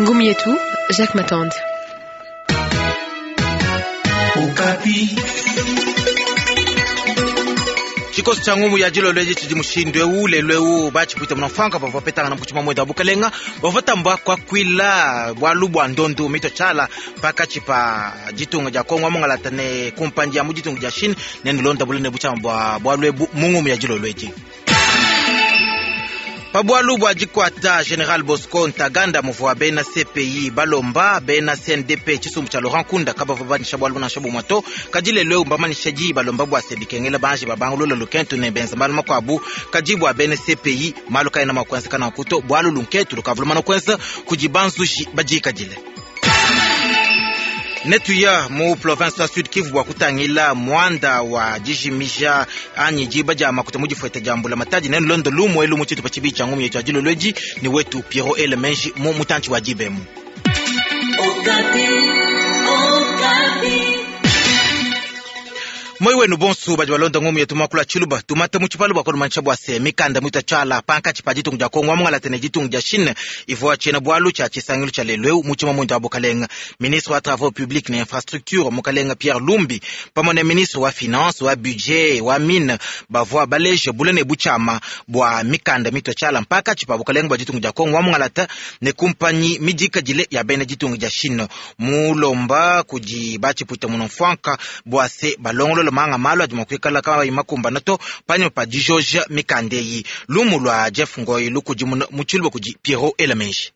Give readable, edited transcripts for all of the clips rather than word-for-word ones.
Ngumu yetu Jacques Matande. Tshikoso tshia ngumu ya dilolo edi tshidi mushindu eu lelu eu batshipwita munamfuanka bavua bapetangana mu tshima muenda wa bukalenga bavua tamba kuakuila bualu bua ndondu mitua tshiala pakatshi pa ditunga dia Kongo wa mungalata ne kumpanyi ya mu ditunga dia Chine ne nulonda bule ne butshiama bua bualu ebu mu ngumu ya dilolo edi. Pa bualu bua dikuata General Bosco Ntaganda muvua bena CPI balomba bena CNDP tshisumbu tshia Laurent Nkunda kabavua banyisha bualu nansha bumue to. Kadi lelu eu mbamanyisha diyi balomba bua se bikengela banji babangulula lukentu ne benza malu makuabu. Kadi bua bena CPI malu kaena mua kuenzeka nanku to, bualu lunketu lukavua lumana kuenza kudi banzuji badikadile. Netuya mu province wa Sud Kivu bua kutangila muanda wa dijimija anyi diba dia makuta mu difueta dia mbulamatadi. Nenulonde lumu elu mu tshitupa tshibidi tshia ngumu yetu ya dilolo edi ne wetu Pierrot Ele Menji mu mutantshi wa dibemu. Moi wenu bonsu badi balonda ngumu yetu muakulu tshiluba tumata mu tshipalu bua kulumanyisha bua se mikanda mitua tshiala pankatshi pa ditunga dia Kongo wa mungalata ne ditunga dia Chine ivua tshiena bualu tshia tshisangilu tshia lelu eu mu tshima muinda wa bukalenga. Ministre wa travaux publics ne infrastructure mukalenga Pierre Lumbi pamue ne ministre wa finance wa budget wa mine bavua baleje bule ne butshiama bua mikanda mitua tshiala mpakatshi pa bukalenga bua ditunga dia Kongo wa mungalata ne kumpanyi midikadile ya bena ditunga dia Chine mulomba kudi batshipuita munamfuanka bua se balongolola manga malu adi mua kuikala kabayi makumbana to panyima pa dijoja mikanda eyi. Lumu lua Jeff Ngoyi lukudimuna mu tshiluba kudi Pierrot Elamenji.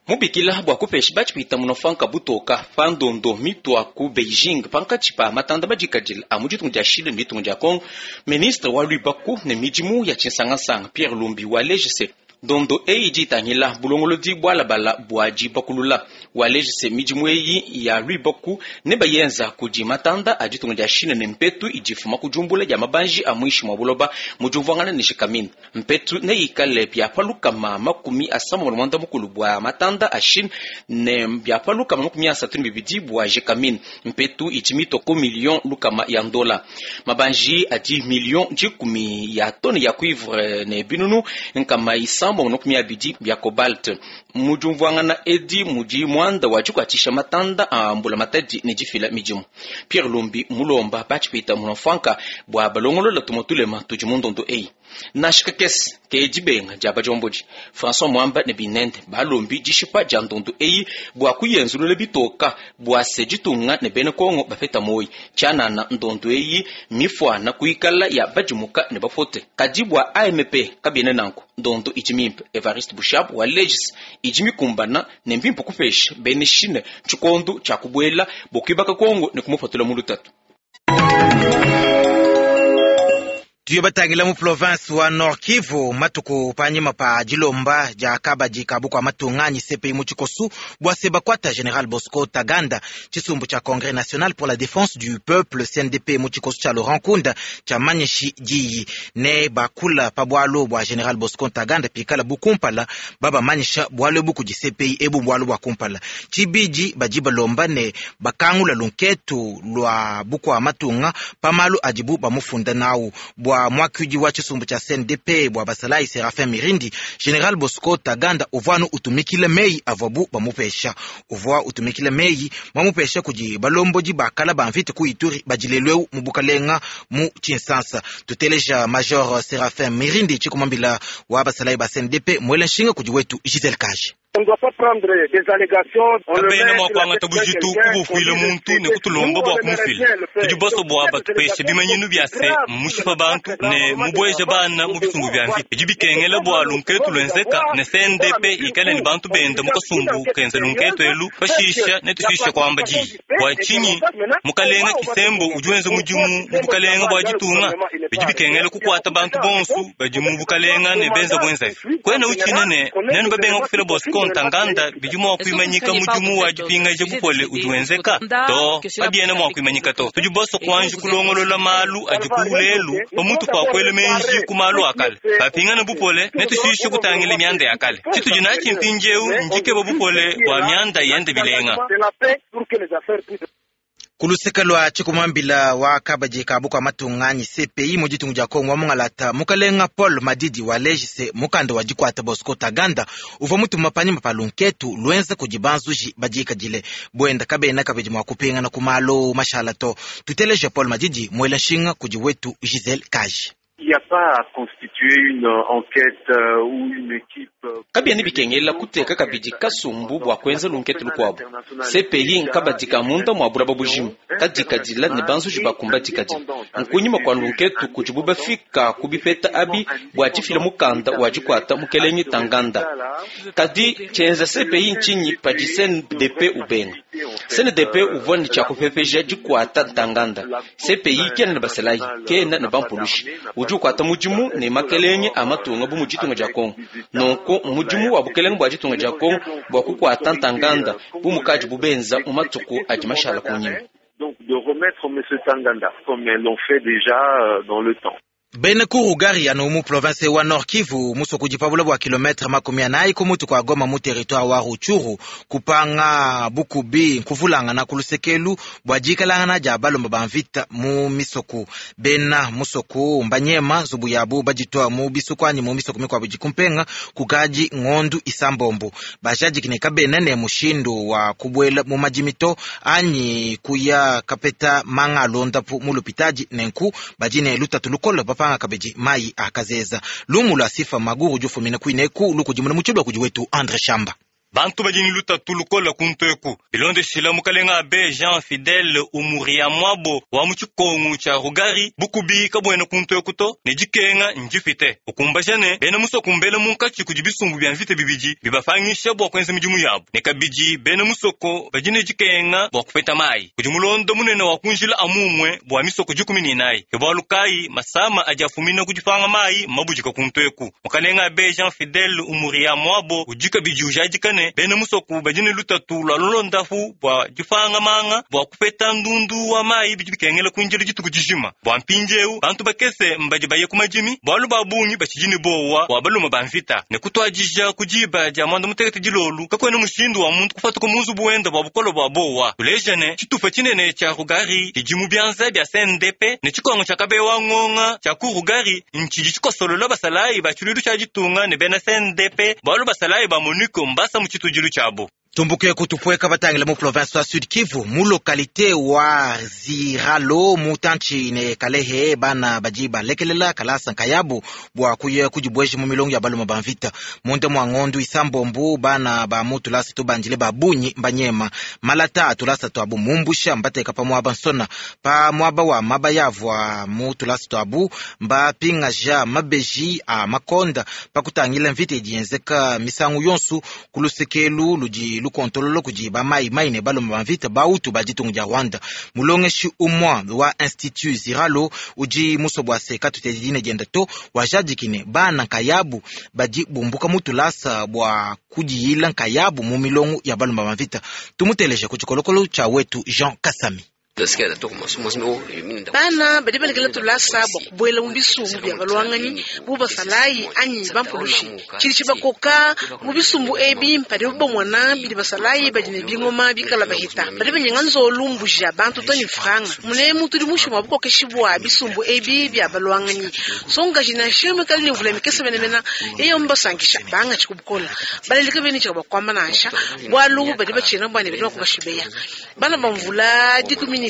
Mubikila bua kupesha batshipwita munofanka butoka pa ndondo mitua ku Beijing pankatshi pa matanda madikadile a mu ditunga dia Chine ne ditunga dia Congo, ministre wa luibaku ne midimu ya tshinsangansanga Pierre Lumbi waleja se ndondo eyi idi itangila bulongolodi bualabala bua dibakulula. Waleja se midimu eyi ya luibaku ne bayenza kudi matanda a ditunga dia Chine ne mpetu idi ifuma ku diumbula dia mabanji a muinshi mua buloba mu diumvuangana ne Gécamines. Mpetu neikale bia pa 360 bua matanda a Chine ne bia pa 32 bua Gécamines. Mpetu idi mitua ku million lukama ya ndola. Mabanji adi million 10 ya tone ya cuivre ne binunu 920 bia cobalt. Mu diumvuangana edi mudi muanda wa dikuatshisha matanda a mbula matadi ne difila midimu. Pierre Lumbi mulomba batshipwita munamfuanka bua balongolola tumue tulema tudi mu ndondo eyi. Nansha kakese ke dibenga dia badiombodi François Mwamba ne binende balombi dishipa dia ndondo eyi bua kuyenzulula bitoka bua se ditunga ne bena Kongo bapeta moyi. Tshianana ndondo eyi mifuana kuikala ya badimuka ne bapote. Kadi bua AMP kabiena nanku ndondo idi mimpe. Evariste Boshab wa Legis idi mikumbana ne mbimpe kupesha bena Chine tshikondo tshia kubuela bua kuibaka Kongo ne kumupatula mu lutatu. Tuye batangila mu province wa Nord Kivu matuku panyima pa dilomba dia kabadi ka bukua matunga anyi CPI mu tshikosu bua se bakuata General Bosco Ntaganda tshisumbu tshia Congrès National pour la Défense du Peuple CNDP mu tshikosu tshia Laurent Nkunda tshia manyishi diyi ne bakula pa bualu bua General Bosco Ntaganda pikala bukumpala babamanyisha bualu ebu kudi CPI ebu bualu bua kumpala tshibidi badi balomba ne bakangula lunketu lua bukua matunga pa malu adibu bamufunda nawu bua mwakuidi wa tshisumbu tshia CNDP bua basalayi Serafin Mirindi. General Bosco Ntaganda uvua anu utumikila meyi avuabu bamupesha, uvua utumikila meyi mamupesha kudi balombodi bakala ba mvita ku Ituri badi lelu eu mu bukalenga mu Tshinsansa. Tuteleja Major Serafin Mirindi tshikumambila wa basalayi ba CNDP mwela nshinga kudi wetu Giselle Kaji. Kabena mua kuangata bujitu kubufuila muntu ne kutulomba bua kumufila. Tudi basue bua batupeshe bimanyinu bia se mmushipa bantu ne mubueja bana mu bisumbu bia mvita. Bidi bikengela bua lunketu luenzeka ne CNDP ikale ne bantu benda mu kasumbu kenza lunketu elu, pashisha netushishe kuamba diyi. Bua tshinyi mukalenga Kisembo udi wenza mudimu mu bukalenga bua ditunga? Bidi bikengela kukuata bantu bonsu badi mu bukalenga ne benza buenzavi. Kuena utshina ne nenu babenga kufila Bosco Ntaganda bidi mua kuimanyika mudimu wa dipingaja bupole udi wenzeka to kabiena mua kuimanyika to. Tudi basue kuanji kulongolola malu adi ku lelu pamutu pa kuela menji ku malu a kale. Bapingana bupole netushishe kutangila mianda ya kale. Tshitudi natshi mpindieu ndikeba bupole bua mianda yende bilenga. Ku luseke lua tshikumambila wa kabadi ka bukua matunga anyi CPI mu ditunga dia Kongo wa mungalata, mukalenga Paul Madidi waleji se mukanda wa dikuata Bosco Ntaganda uvua mutuma panyima pa lunketu luenza kudi banzuji badikadile buenda kabena kabidi mua kupingana ku malu mashala to. Tuteleje Paul Madidi muela nshinga kudi wetu Giselle Kaji. Il n'y a pas à constituer une enquête ou une équipe. Kabiena bikengela kuteka kabidi kasumbu bua kuenza lunketu lukuabu. CPI nkabadi ka munda mua bulaba bujima kadikadila ne banzuji bakumba dikadila nkunyima kua lunketu kudibu bafika ku bipeta abi bua difila mukanda wa dikuata mukelenge Ntaganda. Kadi tshienza CPI ntshinyi padi CNDP ubenga? CNDP uvua ne tshiakupepeja dikuata Ntaganda. CPI kena ne basalayi, kena ne bampulushi, udi ukuata mudimu ne makelenge a matunga bu mu ditunga dia Kongo. Nunku mudimu wa bukelenge bua ditunga dia Kongo bua kukuata Ntaganda bu mukadi bubenza mu matuku adi mashala kunyima. Donc de remettre M. Ntaganda, comme l'ont fait déjà dans le temps. Bena ku Rugari anu mu province wa Nord Kivu, musoko udi pa bula bua kilometre 40 ku mutu kua Goma mu territoire wa Rutshuru, kupanga bukubi nkuvulangana ku lusekelu bua dikalangana dia balomba ba mvita mu misoku. Bena musoku mbanyema nzubu yabu baditua mu bisuku anyi mu misoku mikuabu idi kumpenga kukadi ngondu isambombo. Bajadiki ne kabena ne mushindu wa kubuela mu madimi to anyi kuya kapeta manga alondapu mu lupitadi, nenku badi ne lutatu lukola bapanga kabidi mai akazeza. Lumu lua Sifa Maguru jufumina kuineku lukudimuna mu kudi wetu Andre Shamba. Bantu badi ne lutatu lukola kuntu eku. Bilondeshila mukalenga abe Jean Fidele Umuria Mwabo wa mu tshikongu tshia Rugari, bukubi kabuena kuntu eku to ne dikenga ndipite. Ukumbaja ne bena musoko mbele munkatshi kudi bisumbu bia mvita bibidi bibapangisha bua kuenza midimu yabu, ne kabidi bena musoko badi ne dikenga bua kupeta mayi kudi mulondo munene wa kunjila amumwe bua misoko 14. Ke bualu kayi masama adi afumina ku dipanga mayi mabudika kuntu eku. Mukalenga abe Jean Fidele Umuria Mwabo udi kabidi ujadika ne bena musoko badi ne lutatu lua lulondapu bua dipanga manga bua kupeta ndundu wa mayi bidi bikengela kunjila dituku dijima. Bua mpindieu bantu bakese mbadi baye ku madimi bualu ba bungi batshidi ne bowa bua balume ba mvita, ne kutuadija ku diba dia 11 dilolu kakuena mushindu wa muntu kupatuka mu nzubu wenda bua bukole bua bowa. Tuleja ne tshitupa tshinene tshia Rugari tshidi mu bianza bia CNDP ne tshikongo tshia Kabewa Ngonga tshia ku Rugari ntshidi tshikosolola basalayi ba tshiluilu tshia ditunga ne bena CNDP, bualu basalayi ba MONUC mbasa mu tshitudilu tshiabu. Tumbuke kutupweka batangila mu province wa Sud Kivu, mu localité wa Ziralo mutantshi ne Kalehe, bana badi balekelela kalasa nkayabu bua kuya kudibweja mu milongo ya balume ba mvita. Munda mua ngondu isambombu, bana ba mu tulasa tubandile ba bunyi mbanyema malata a tulasa tuabu mumbusha, mbateka pa muaba nsona pa muaba wa maba yavua mu tulasa tuabu, mbapingaja mabeji a makonda. Pakutangila mvita idi yenzeka misangu yonsu ku lusekelu ludi lukontolola kudi bamai mai ne balume ba mvita bautu ba ditunga dia Rwanda, mulongeshi umwa wa institut Ziralo udi muso bua se katutedi dina dienda to wajadiki ne bana nkayabu badi bumbuka mu tulasa bua kudiyila nkayabu mu milongo ya balume ba mvita. Tumuteleje ku tshikolokolo tshia wetu Jean Kasami. Bana badi balekela tulasa bua kubuela mu bisumbu bia balwanganyi bu basalayi anyi bampulushi. Tshidi tshibakoka mu bisumbu ebi mpadibu bamona bidi basalayi badi ne bingoma bikala bahita, badi banyenga nzolu, mbuji ya bantu to ne franga. Munemu tudi mushi mua bukokeshi bua bisumbu ebi bia balwanganyi. Songaji nansha mikale ne mvula mikese menemene eyo mbasankisha bangatshi kubukola baleleka bene tshika bakwamba nansha bualu badi batshina bua ne badi bakubashibeya. Bana ba mvula 13 anyi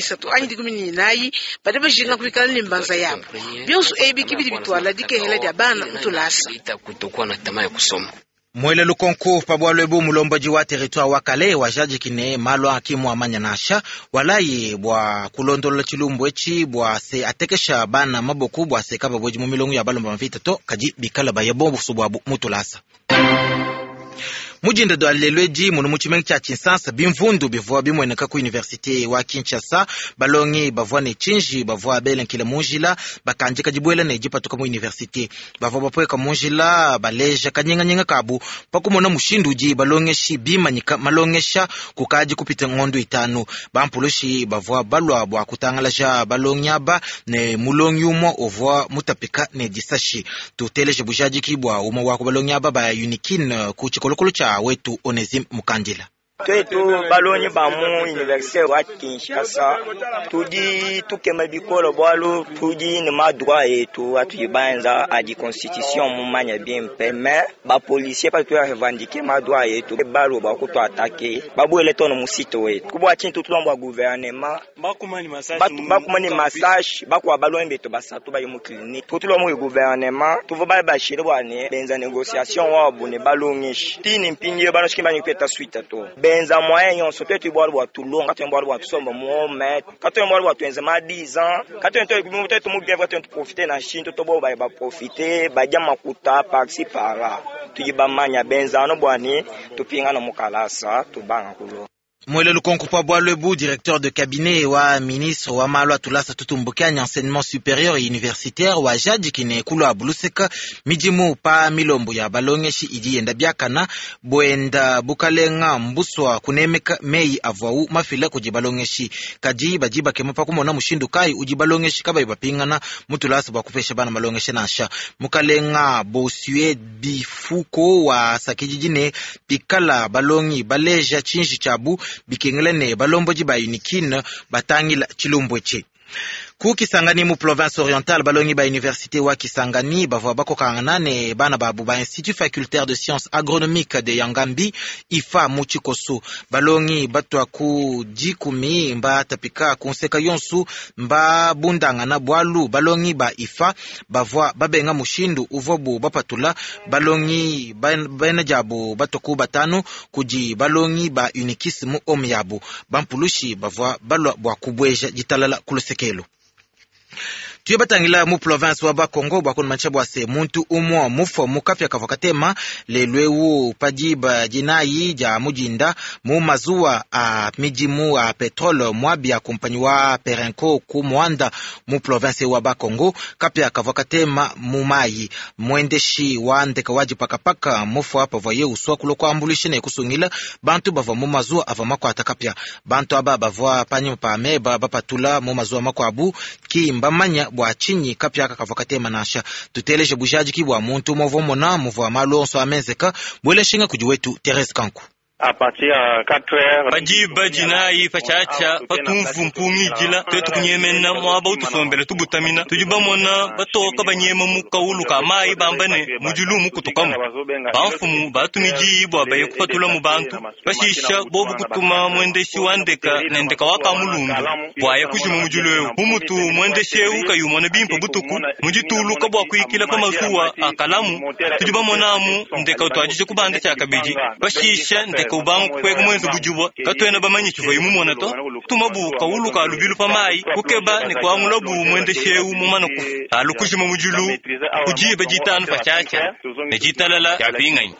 14 badi bajinga kuikala ne mbanza yabo. Bionso ebi kibidi bitwala dikehela dia bana mutulasa. Mwele lukonko pa bwalu ebu, mulombodi wa territoire wa Kale wajadiki ne malu akimu amanya nansha walayi bua kulondolola tshilumbu etshi bua se atekesha bana maboku bua se kababwedi mu milongo ya balomba mvita to kadi bikala baye bonso bwabu mutulasa. Mujinda dwa lelo edi munu mu tshimenga tshia Tshinsansa, bimvundu bivua bimueneka ku université wa Kinshasa. Balongi bavua ne tshinji bavua belenkile mu njila bakandika dibuela ne dipatuka mu université. Bavua bapweka mu njila baleja kanyinganyinga kabu pakumona mushindu udi balongeshi bimanyika malongesha kukadi kupita ngondo 5. Bampulushi bavua balua bua kutangalaja balongi aba ne mulongi umue uvua mutapika ne disashi. Tuteleje bujadiki bua umue wa ku balongi aba ba Unikin ku tshikolokolo tshia wetu Onesime Mukandila. Twetu balongi ba mu université wa Kinshasa tudi tukema bikole bwalu tudi ne ma droit yetu atudi banza adi constitution mumanya bimpe, mais ba policier pa tuya revendiquer ma droit yetu balo ba kutu attaquer babwele tono musito wetu kubwa chintu tulomba gouvernement bakumani massage bakwa balongi betu basatu bayi mu clinique tutulomba gouvernement tuvo ba bashire bwane benza négociation wabo ne balongishi tini mpingi banoshiki banyi kweta suite to benza moyen nyonso twetu bwalo bwa tulonga katwe bwalo bwa tusomba muome katwe bwalo bwa tuenza ma 10 ans katwe twetu mu bien katwe profiter na shinto tobo ba ba profiter baja makuta par-ci par-là tuji bamanya benza no bwani tupinga no mukalasa tubanga kulo. Mwele lukonko pa bwalwebu, directeur de cabinet wa ministre wa malu atulasa tutumbukani enseignement supérieur et universitaire wa jadikine kulu abuluseka midimu pa milombo ya balongeshi idi yenda biakana bwenda bukalenga mbuswa kunemeka meyi avwau mafila kudi balongeshi kadi badi bakema pa kumona mushindu kai udi balongeshi kabayi bapingana mutulasa bwa kupesha bana malongeshi nansha. Mukalenga Bosue Bifuko wa sakididi ne pikala balongi baleja tshinji tshiabu bikengela ne balomboji ba unikine batangila chilumbweche. Ku Kisangani mu province orientale, balongi ba université wa Kisangani bavua bakokangana ne bana babu ba Institut facultaire de sciences agronomiques de Yangambi IFA mu Tshikoso. Balongi batwa ku dikumi mba tapika kunseka yonsu mba bundangana bwalu balongi ba IFA bavua babenga mushindu uvuabu bapatula balongi bena diabu batwa ku batanu kudi balongi ba Unikis mu omu yabu. Bampulushi bavua balua bua kubweja ditalala kulusekelo. Tuye batangila mu province wa Bakongo bwa kunumanisha bwa se muntu umwe mufwa mukapya kavua katema lelwewu padiba dinayi dia mudinda mu mazuwa a midimu a petrole mwabi ya kumpanyi wa Perenco ku Mwanda mu province wa Bakongo. Kapya kavua katema mu mayi mwendeshi wa ndeka wa dipakapaka mufwa pavua uswa kulo kuambulisha ne kusungila bantu bavua mu mazuwa avua makwata kapya. Bantu aba bavua panyima pa meba bapatula mu mazuwa makwabu ki mbamanya bwa chinyi kapya kakavua katema nansha. Tuteleje bujadiki bwa muntu movua mona muvua malu onso amenzeka bweleshinga kudi wetu Therese Kanku. Padiba dinayi patshiatshia patumvu mpungidila twetu kunyemena muaba utusombela tubutamina tudi bamona batoka banyema mu kaulu ka mayi bamba ne mudilu mukutukamu. Bamfumu batumidi bua baye kupatula mu bantu bashisha bobu kutuma mwendeshi wa ndeka ne ndeka wakamulundu bua kujima mudilu ewu. Bumutu mwendeshi ewu kayumona bimpe butuku mudituluka bua kuikila pa mazuwa akalamu tudi bamonamu ndeka utuadije kubanda tshiakabidi bashisha ndeka ubanga kukweka mwenze bujubwa katwena bamanyi tshiva imumona to tumabu kaulu ka lubilu pa mayi kukeba ne kuangula bu mwendeshi ewu mumana kufa alukujima mudilu kudiba ditanu patshiatshia ne ditalala diapinganyi.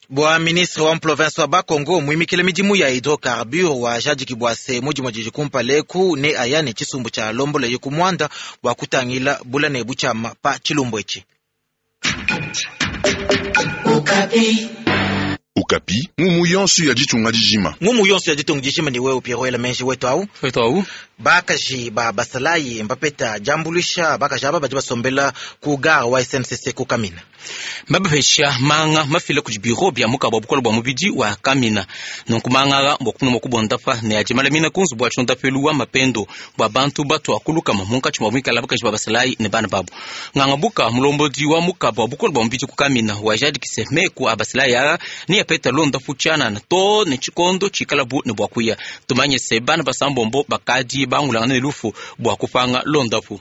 Bwa ministre wa province wa Bakongo muimikile midimu ya hydrocarbure wa jadiki bwa se mudimu didi kumpaleku ne aya ne tshisumbu tshia lombola ye kumwanda bwa kutangila bula ne butshiama pa tshilumbu etshi. Okapi, ngumu yonso ya ditunga dijima. Ngumu yonso ya ditunga dijima ni wewe Pierrot Elemenji wetu au? Wetu au? Bakaji ba basalayi mbapeta jambulisha bakaji aba badi basombela ku gare wa SNCC ku Kamina. Mbabapesha manga mafila kudi biro bia mukabo bukolo bwa mubidi wa Kamina. Nunku manga mbwa kumuna kubondapa ne ajimala mina kunzu bwa chonda pelu wa mapendo bwa bantu batu akulukama munkatshi mwa mwikala bakaji ba basalayi ne bana babu. Nganga buka mulombodi wa mukabo bukolo bwa mubidi ku Kamina wa jadikise meku abasalayi ara ni apeta londa fuchana na to ne chikondo chikalabu ne bwa kuya. Tumanye se bana basambombo bakadi bangulangana ne lufu bwa kupanga londapu.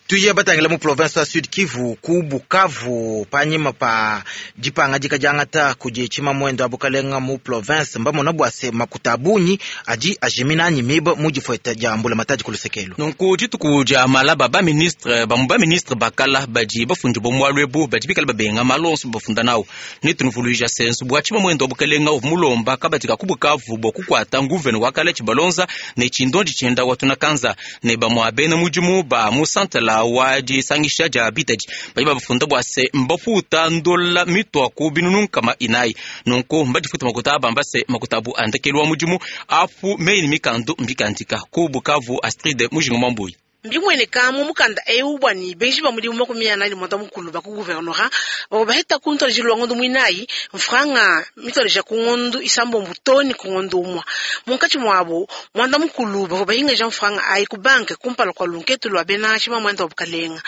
Tuye batangila mu province wa Sud Kivu ku Bukavu panyima pa dipanga dikadiangata kudi tshima mwendo wa bukalenga mu province mbamona bwa se makuta bunyi adi ajimina anyi miba mu difueta dia mbula matadi kulusekelo. Nunku dituku dia malaba ba ministre ba mu ba ministre bakala badi bafundi bo mwalwe bu badi bikala babenga malonso bafunda nawo. Netunuvuluija sensu bwa tshima mwendo wa bukalenga mulomba kabadi ka ku Bukavu bwa kukwata nguvene wakala tshibalonza ne tshindondi tshienda watunakanza ne bamwa bena mudimu ba mu santala wa disangisha dia bitadi badi babafunda bwa se mbafuta ndola mitwa ku binunu nkama inayi. Nunku mbadifuta makuta aba se makuta abu andekelu wa mudimu apu meyi ni mikandu mbikandika ku Bukavu. Astrid Mujinga Mwambuyi. Mbimueneka mu mukanda eu bua ne benji ba mudimu 45 ba ku gouvernorat bavua baheta ku ntuadijilu wa ngondo muinayi mfranga mituadija ku ngondo 6 too ne ku ngondo 1. Munkatshi muabu 11 bavua bahingaja mfranga ayi ku banke kumpala kua lunketu lua bena tshimamuende wa bukalenga.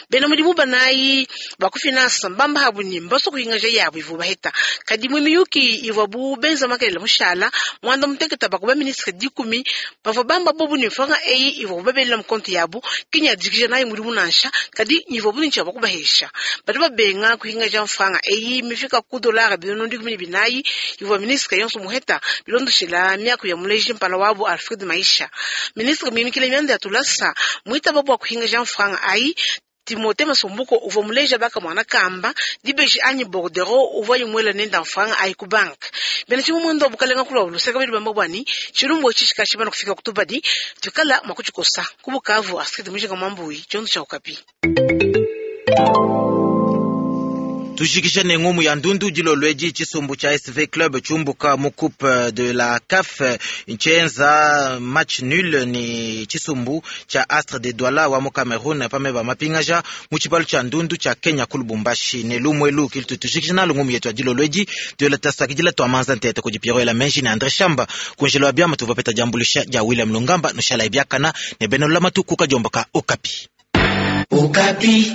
Bena mudimu 4 ba ku finance mbamba habu ne mbasua kuhingaja yabu ivua baheta. Kadi mu miyuki ivuabu benza makelela mushala 16 ba ku ba ministre 10 bavua bamba bobu ne mfranga eyi ivuabu babelela mu konti yabu kinya dikija nayi mudimu nansha kadi nyivuabu ne tshia kubahesha. Badi babenga kuhingaja mfranga eyi mifika ku dollar 14,000 ivua ministre yonso muheta bilondoshela miaku ya muleji mpala wabu Alfred Maisha. Ministre muimikile mianda ya tulasa muitaba bua kuhingaja mfranga ayi Timothée Masombuko uvua muleja baka mwana kamba dibeji anyi bordero uvua yimwela nenda mfranga ayi ku bank. Bena tshimamuende wa bukalenga kulwa luseka badi bamba bwani tshilumbu etshi tshikashi bana kufika kutubadi tukala mwa kutshikosa ku Bukavu. Astrid Mujinga Mwambui tshiondo tsha Okapi. Tujikisha ne ngumu ya ndundu dilolweji tshisumbu cha SV Club chumbuka mu coupe de la CAF nchenza match nul ni tshisumbu cha Astre de Douala wa mu Cameroun pameba mapingaja mu tshibalu cha ndundu cha Kenya ku Lubumbashi ne lumwelu kilitu tujikisha nalo ngumu yetu ya dilolweji tuela tasakidila twamanza ntete kudi Pierrot ela menji ne André Shamba kunjelo wa byama tuvapeta jambulisha ja William Lungamba nushala ibiakana ne benolama tukuka jombaka Okapi. Okapi.